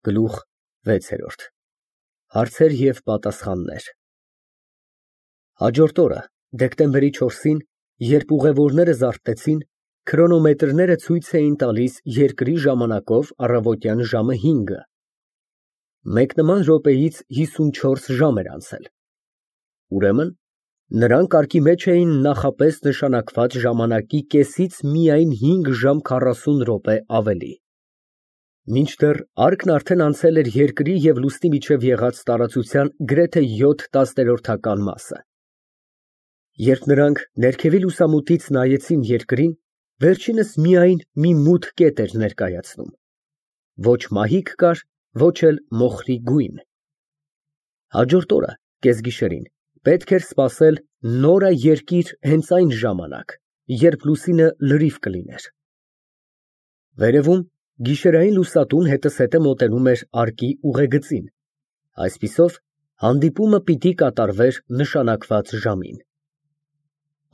Գլուխ վեցերորդ Հարցեր և պատասխաններ Հաջորդ օրը, դեկտեմբերի 4-ին, երբ ուղևորները զարթնեցին, քրոնոմետրները ցույց էին տալիս երկրի ժամանակով առավոտյան ժամը 5-ը։ Մեկ նման րոպեից 54 ժամ էր անցել։ Ուրեմն, նրանք կարգի մեջ էին նախապես նշանակված ժամանակի կեսից միայն 5 ժամ 40 րոպե ավելի։ Մինչդեռ արկն արդեն անցել էր երկրի և լուսնի միջև եղած տարածության գրեթե 7/10 մասը։ Երբ նրանք ներքևի լուսամուտից նայեցին երկրին, վերջինս միայն մի մութ կետ էր ներկայացնում։ Ոչ մահիկ կար, ոչ էլ մոխրի գույն։ Հաջորդ օրը, կեսգիշերին, պետք էր սպասել նորաերկիր հենց այն ժամանակ, երբ լուսինը լրիվ կլիներ։ Վերևում գիշերային լուսատուն հետզհետե մոտենում էր արկի ուղեգծին, այսպիսով հանդիպումը պիտի կատարվեր նշանակված ժամին։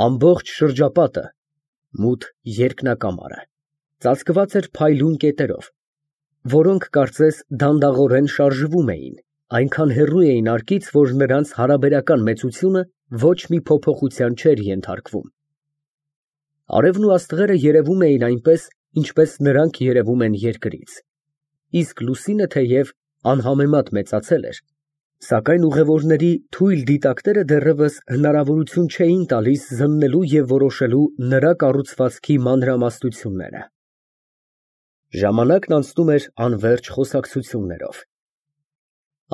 Ամբողջ շրջապատը, մութ երկնակամարը, ծածկված էր փայլուն կետերով, որոնք կարծես դանդաղորեն շարժվում էին, այնքան հեռու էին արկից, որ նրանց հարաբերական մեծությունը ոչ մի փոփոխության չէր ենթարկվում։ Արևն ու աստղերը երևում էին այնպես, ինչպես նրանք երևում են երկրից, իսկ լուսինը թեև անհամեմատ մեծացել էր, սակայն ուղևորների թույլ դիտակները դեռևս հնարավորություն չէին տալիս զննելու և որոշելու նրա կառուցվածքի մանրամասնությունները։ Ժամանակն անցնում էր անվերջ խոսակցություններով։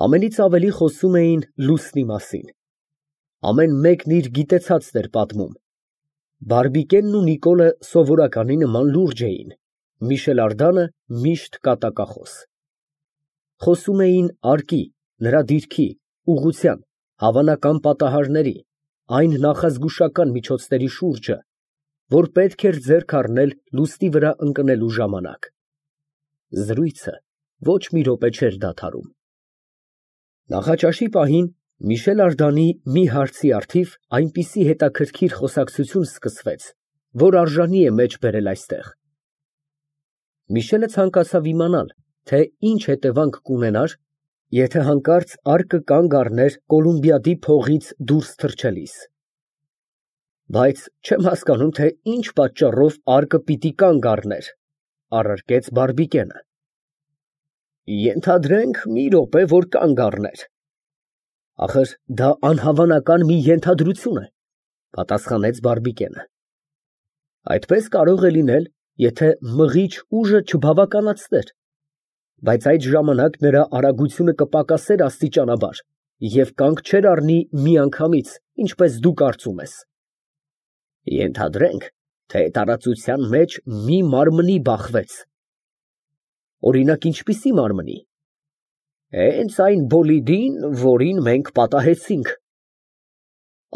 Ամենից ավելի խոսում էին լուսնի մասին։ Ամեն մեկն իր գիտեցածն էր պատմում։ Բարբիկենն ու Նիկոլը սովորականի նման լուրջ էին, Միշել Ардանը միշտ կատակախոս։ Խոսում էին արկի, նրա դիրքի, ուղղության, հավանական պատահարների, այն նախազգուշական միջոցների շուրջը, որ պետք էր ձեռք առնել լուսնի վրա ընկնելու ժամանակ։ Զրույցը ոչ մի րոպե չէր դադարում։ Նախաճաշի պահին Միշել Ардանի մի հարցի առթիվ այնպիսի հետաքրքիր խոսակցություն սկսվեց, որ արժանի է մեջ բերել այստեղ։ Միշելը ցանկացավ իմանալ, թե ինչ հետևանք կունենար, եթե հանկարծ արկը կանգ առներ Կոլումբիադի փողից դուրս թռչելիս։ Բայց չեմ հասկանում, թե ինչ պատճառով արկը պիտի կանգ առներ, առարկեց Բարբիկենը։ Ենթադրենք մի րոպե, որ կանգ առներ։ Ախր դա անհավանական մի ենթադրություն է, պատասխանեց Բարբիկենը։ Այդպես կարող է լինել, եթե մղիչ ուժը չբավականացներ, բայց այդ ժամանակ նրա արագությունը կպակասեր աստիճանաբար և կանգ չէր առնի միանգամից, ինչպես դու կարծում ես։ Ենթադրենք, թե տարածության մեջ մի մարմնի բախվեց։ Օրինակ, ինչպիսի մարմնի։ Հենց այն բոլիդին, որին մենք պատահեցինք։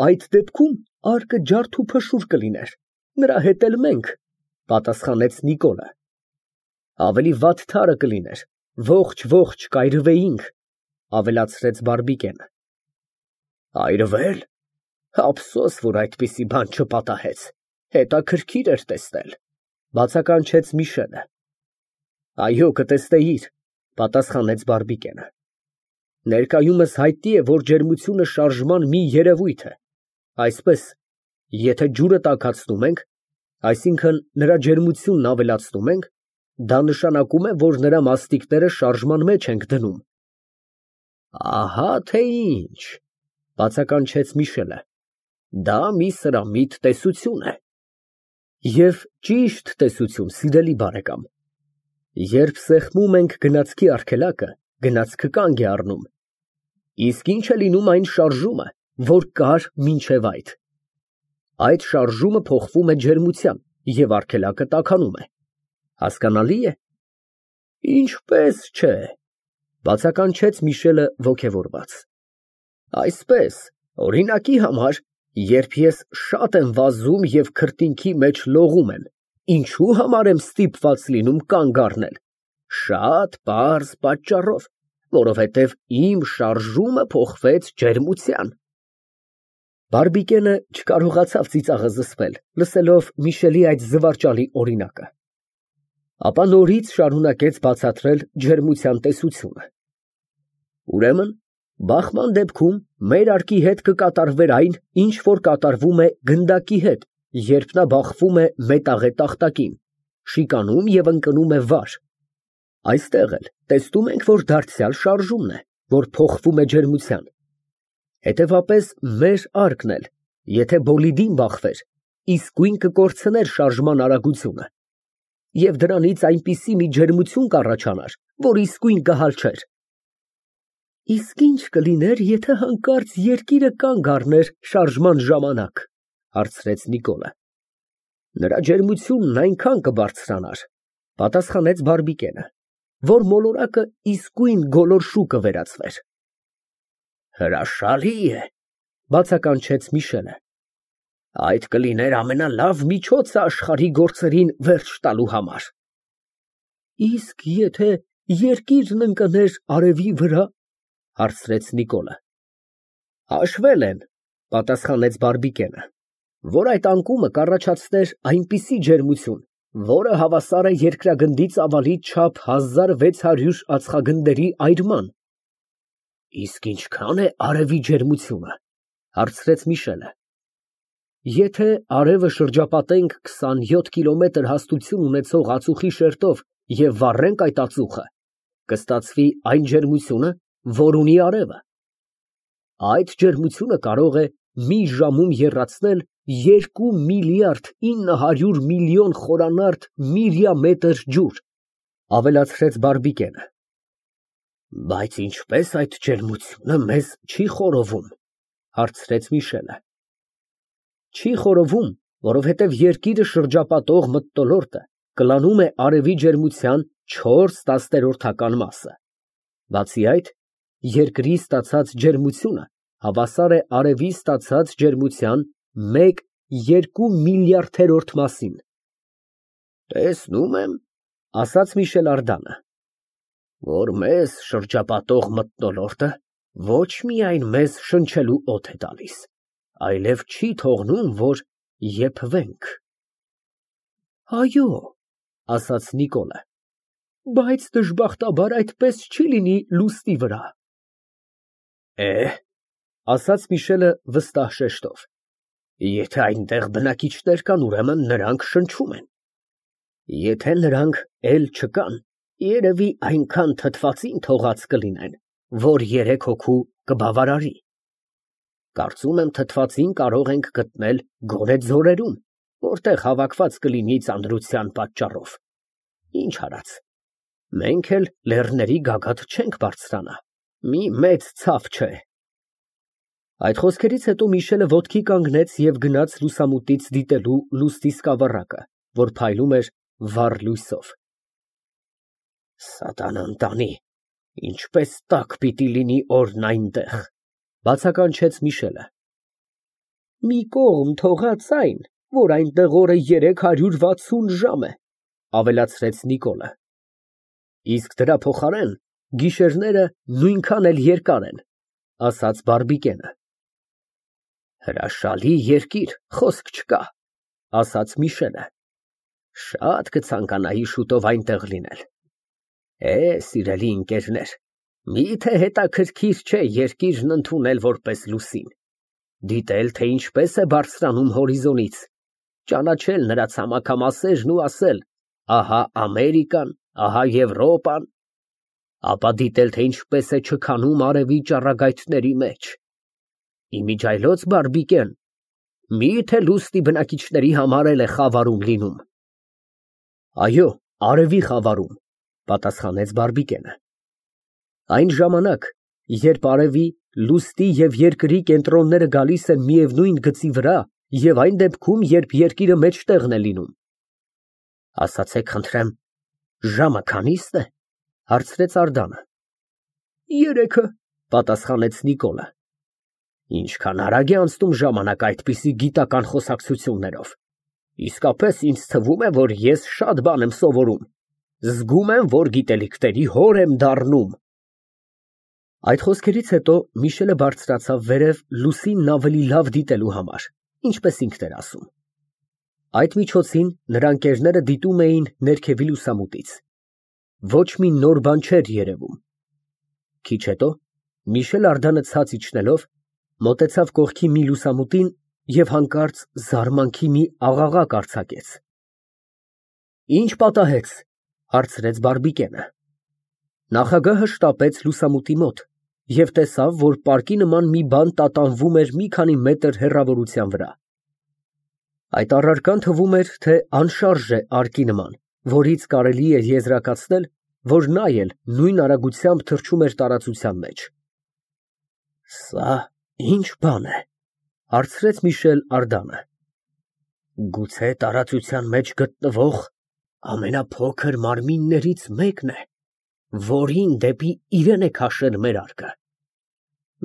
Այդ դեպքում արկը ջարդ ու փշուր կլիներ, նրա հետ էլ մենք, պատասխանեց Նիկոլը։ Ավելի վատ թարը կլիներ, ողջ կայրվեինք, ավելացրեց Բարբիկենը։ Այրվել։ Ափսոս, որ այդպիսի բան չպատահեց, հետաքրքիր էր տեսնել, բացականչեց Միշելը։ Այո, կտեսնեիր, պատասխանեց Բարբիկենը։ Ներկայումս հայտնի է, որ ջերմությունը շարժման մի երևույթ է, այսպես, եթե ջուրը տաքացնում ենք, այսինքն նրա ջերմությունն ավելացնում ենք, դա նշանակում է, որ նրա մասնիկները շարժման մեջ ենք դնում։ Ահա թե ինչ, բացականչեց Միշելը, դա մի սրամիտ տեսություն է։ Եվ ճիշտ տեսություն, սիրելի բարեկամ։ Երբ սեղմում ենք գնացքի արգելակը, գնացքը կանգ է առնում։ Իսկ ինչ է լինում այն շարժումը, որ կար մինչև այդ։ Այդ շարժումը փոխվում է ջերմության և արգելակը տաքանում է։ Հասկանալի է։ Ինչպես չէ, բացականչեց Միշելը ոգևորված։ Այսպես, օրինակի համար, երբ ես շատ եմ վազում և քրտինքի մեջ լողում եմ, ինչու համար եմ ստիպված լինում կանգ առնել։ Շատ պարզ պատճառով, որովհետև իմ շարժումը փոխվեց ջերմության։ Բարբիկենը չկարողացավ ծիծաղը զսպել, լսելով Միշելի այդ զվարճալի օրինակը։ Ապա նորից շարունակեց բացատրել ջերմության տեսությունը։ Ուրեմն, բախման դեպքում մեր արկի հետ կկատարվեր այն, ինչ որ կատարվում է գնդակի հետ, երբ նա բախվում է մետաղե տախտակին, շիկանում և ընկնում է վար։ Այստեղ էլ տեսնում ենք, որ դարձյալ շարժումն է, որ փոխվում է ջերմության։ Հետևապես մեր արկն էլ, եթե բոլիդին բախվեր, իսկույն կկորցներ շարժման արագությունը, և դրանից այնպիսի մի ջերմություն կառաջանար, որ իսկույն կհալչեր։ Իսկ ինչ կլիներ, եթե հանկարծ երկիրը կանգ առներ շարժման ժամանակ, հարցրեց Նիկոլը։ Նրա ջերմությունն այնքան կբարձրանար, պատասխանեց Բարբիկենը, որ մոլորակը իսկույն գոլորշու կվերածվեր։ Հրաշալի է, բացականչեց Միշելը։ Այդ կլիներ ամենալավ միջոցը աշխարհի գործերին վերջ տալու համար։ Իսկ եթե երկիրն ընկներ արևի վրա, հարցրեց Նիկոլը։ Հաշվել են, պատասխանեց Բարբիկենը, որ այդ անկումը կառաջացներ այնպիսի ջերմություն, որը հավասար է երկրագնդի ծավալից չափ 1600 ածխագնդերի այրման։ Իսկ ինչքան է արևի ջերմությունը, հարցրեց Միշելը։ Եթե արևը շրջապատենք 27 կիլոմետր հաստություն ունեցող ածուխի շերտով և վառենք այդ ածուխը, կստացվի այն ջերմությունը, որ ունի արևը։ Այդ ջերմությունը կարող է մի ժամում եռացնել 2 միլիարդ 900 միլիոն խորանարդ միրիամետր ջուր, ավելացրեց Բարբիկենը։ Բայց ինչպես այդ ջերմությունը մեզ չի խորովում, հարցրեց Միշելը։ Չի խորովում, որովհետև երկիրը շրջապատող մթնոլորտը կլանում է արևի ջերմության 4/10 մասը։ Բացի այդ, երկրի ստացած ջերմությունը հավասար է արևի ստացած ջերմության 1/2 միլիարդերորդ մասին։ Տեսնում եմ, ասաց Միշել Ардանը, որ մեզ շրջապատող մթնոլորտը ոչ միայն մեզ շնչելու օդ է տալիս, այլև չի թողնում, որ եփվենք։ Այո, ասաց Նիկոլը, բայց դժբախտաբար այդպես չի լինի լուսնի վրա։ Ասաց Միշելը վստահ շեշտով, եթե այնտեղ բնակիչներ կան, ուրեմն նրանք շնչում են։ Եթե նրանք էլ չկան, երևի այնքան թթվածին թողած կլինեն, որ 3 հոգու կբավարարի։ Կարծում եմ թթվածին կարող ենք գտնել գոնե ձորերում, որտեղ հավաքված կլինի ծանրության պատճառով։ Ինչ արած, մենք էլ լեռների գագաթ չենք բարձրանա, մի մեծ ցավ չէ։ Այդ խոսքերից հետո Միշելը ոտքի կանգնեց և գնաց լուսամուտից դիտելու լուսնի սկավառակը, որ փայլում էր վառ լույսով։ Սատանան տանի, ինչպես տաք պիտի լինի օրն այնտեղ, բացականչեց Միշելը։ Մի կողմ թողած այն, որ այնտեղ օրը 360 ժամ է, ավելացրեց Նիկոլը։ Իսկ դրա փոխարեն գիշերները նույնքան էլ երկար են, ասաց Բարբիկենը։ Հրաշալի երկիր, խոսք չկա, ասաց Միշելը։ Շատ կցանկանայի շուտով այնտեղ լինել։ Սիրելի ընկերներ, միթե հետաքրքիր չէ երկիրն ընդունել որպես լուսին, դիտել, թե ինչպես է բարձրանում հորիզոնից, ճանաչել նրա ցամաքամասերն ու ասել, ահա Ամերիկան, ահա Եվրոպան, ապա դիտել, թե ինչպես է չքանում արևի ճառագայթների մեջ։ Իմիջայլոց Բարբիկեն, միթե լուսնի բնակիչների համար էլ է խավարում լինում։ Այո, արևի խավարում, պատասխանեց Բարբիկենը։ Այն ժամանակ, երբ արևի, լուսնի և երկրի կենտրոնները գալիս են միևնույն գծի վրա, և այն դեպքում, երբ երկիրը մեջտեղն է լինում։ Ասացեք խնդրեմ, ժամը քանի՞ստ է, հարցրեց Ардանը։ 3-ը, պատասխանեց Նիկոլը։ Ինչքան արագ է անցնում ժամանակ այդպիսի գիտական խոսակցություններով։ Իսկապես ինձ թվում է, որ ես շատ բան եմ սովորում։ Զգում եմ, որ գիտելիքների հոր եմ դառնում։ Այդ խոսքերից հետո Միշելը բարձրացավ վերև լուսինն ավելի լավ դիտելու համար, ինչպես ինքն էր ասում։ Այդ միջոցին նրա ընկերները դիտում էին ներքևի լուսամուտից։ Ոչ մի նոր բան չէր երևում։ Քիչ հետո Միշել Արդանը ցած իջնելով մոտեցավ կողքի մի լուսամուտին և հանկարծ զարմանքի մի աղաղակ արձակեց։ Ինչ պատահեց, հարցրեց Բարբիկենը։ Նախագահը շտապեց լուսամուտի մոտ և տեսավ, որ պարկի նման մի բան տատանվում էր մի քանի մետր հեռավորության վրա։ Այդ առարկան թվում էր, թե անշարժ է արկի նման, որից կարելի է եզրակացնել, որ նա էլ նույն արագությամբ թռչում էր տարածության մեջ։ Սա ի՞նչ բան է, հարցրեց Միշել Արդանը։ Գուցե տարածության մեջ գտնվող ամենափոքր մարմիններից մեկն է, որին դեպի իրեն է քաշել մեր արկը։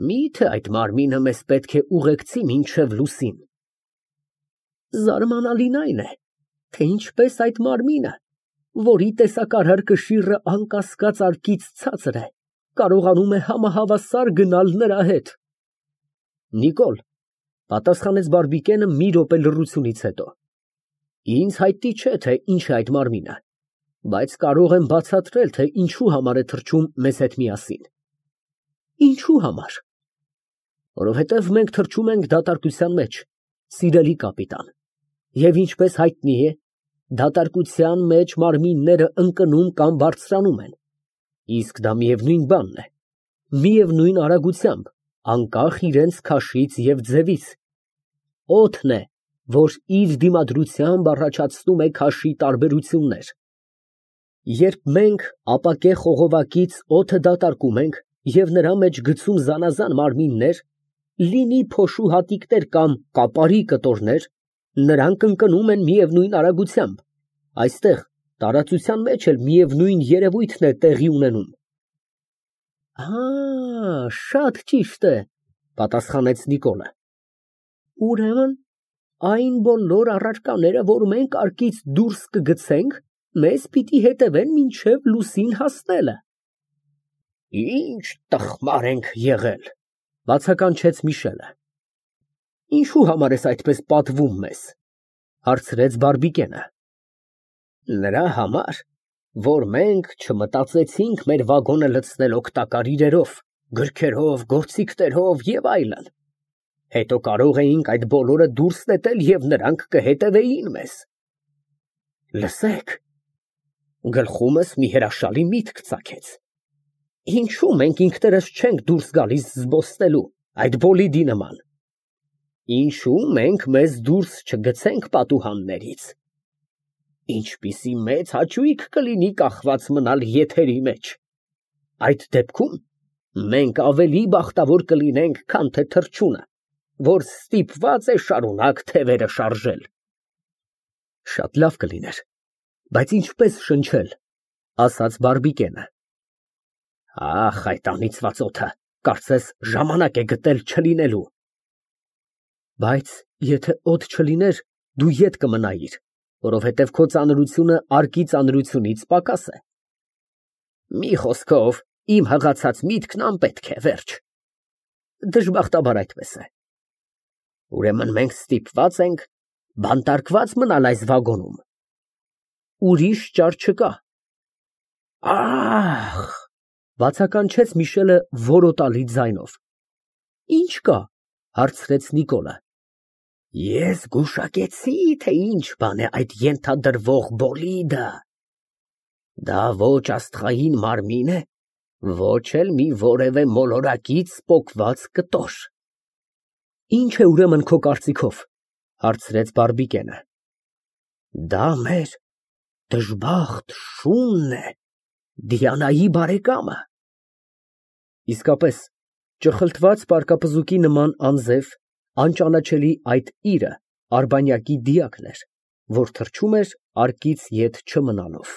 Մի՞թե այդ մարմինը մեզ պետք է ուղեկցի մինչև լուսին։ Զարմանալին այն է, թե ինչպես այդ մարմինը, որի տեսակարար կշիռը անկասկած արկից ցածր է, կարողանում է համահավասար գնալ նրա հետ։ Նիկոլ, պատասխանեց Բարբիկենը մի րոպե լռությունից հետո։ Ինձ հայտնի չէ, թե ինչ է այդ մարմինը, բայց կարող եմ բացատրել, թե ինչու համար է թռչում մեզ հետ միասին։ Ինչու համար։ Որովհետև մենք թռչում ենք դատարկության մեջ, սիրելի կապիտան, և ինչպես հայտնի է, դատարկության մեջ մարմինները ընկնում կամ բարձրանում են, իսկ դա միևնույն բանն է, միևնույն արագությամբ, անկախ իրենց քաշից և ձևից։ Օդն է, որ իր դիմադրությամբ առաջացնում է քաշի տարբերություններ։ Երբ մենք ապակե խողովակից օդը դատարկում ենք և նրա մեջ գցում զանազան մարմիններ, լինի փոշու հատիկներ կամ կապարի կտորներ, նրանք ընկնում են միևնույն արագությամբ, այստեղ տարածության մեջ էլ միևնույն երևույթն է տեղի ունենում։ Շատ ճիշտ է, պատասխանեց Նիկոլը։ Ուրեմն, այն բոլոր առարկաները, որ մենք արկից դուրս կգցենք, մեզ պիտի հետևեն մինչև լուսին հասնելը։ Ինչ տխմար ենք եղել, բացականչեց Միշելը։ Ինչու համար ես այդպես պատվում մեզ, հարցրեց Բարբիկենը։ Նրա համար, որ մենք չմտածեցինք մեր վագոնը լցնել օգտակար իրերով, գրքերով, գործիքներով և այլն։ Հետո կարող էինք այդ բոլորը դուրս նետել և նրանք կհետևեին մեզ։ Լսեք, գլխումս մի հրաշալի միտք ծագեց։ Ինչու մենք ինքներս չենք դուրս գալիս զբոսնելու այդ բոլիդի նման։ Ինչու մենք մեզ դուրս չգցենք պատուհաններից։ Ինչպիսի մեծ հաճույք կլինի կախված մնալ եթերի մեջ։ Այդ դեպքում մենք ավելի բախտավոր կլինենք, քան թե թռչունը, որ ստիպված է շարունակ թևերը շարժել։ Շատ լավ կլիներ, բայց ինչպես շնչել, ասաց Բարբիկենը։ Ախ, այդ անիծված օդը, կարծես ժամանակ է գտել չլինելու։ Բայց եթե օդ չլիներ, դու ետ կմնայիր, որովհետև քո ծանրությունը արկի ծանրությունից պակաս է։ Մի խոսքով, իմ հղացած միտքն անպետք է, վերջ։ Դժբախտաբար այդպես է։ Ուրեմն մենք ստիպված ենք բանտարկված մնալ այս վագոնում։ Ուրիշ ճար չկա։ Ախ, բացականչեց Միշելը որոտալի ձայնով։ Ինչ կա, հարցրեց Նիկոլը։ Ես գուշակեցի, թե ինչ բան է այդ ենթադրվող բոլիդը։ Դա ոչ աստղային մարմին է, ոչ էլ մի որևէ մոլորակից պոկված կտոր։ Ինչ է ուրեմն քո կարծիքով, հարցրեց Բարբիկենը։ Դա մեր դժբախտ շունն է, Դիանայի բարեկամը։ Իսկապես, ճխլտված պարկապզուկի նման անձև, անճանաչելի այդ իրը Արբանյակի դիակն էր, որ թռչում էր արկից ետ չմնալով։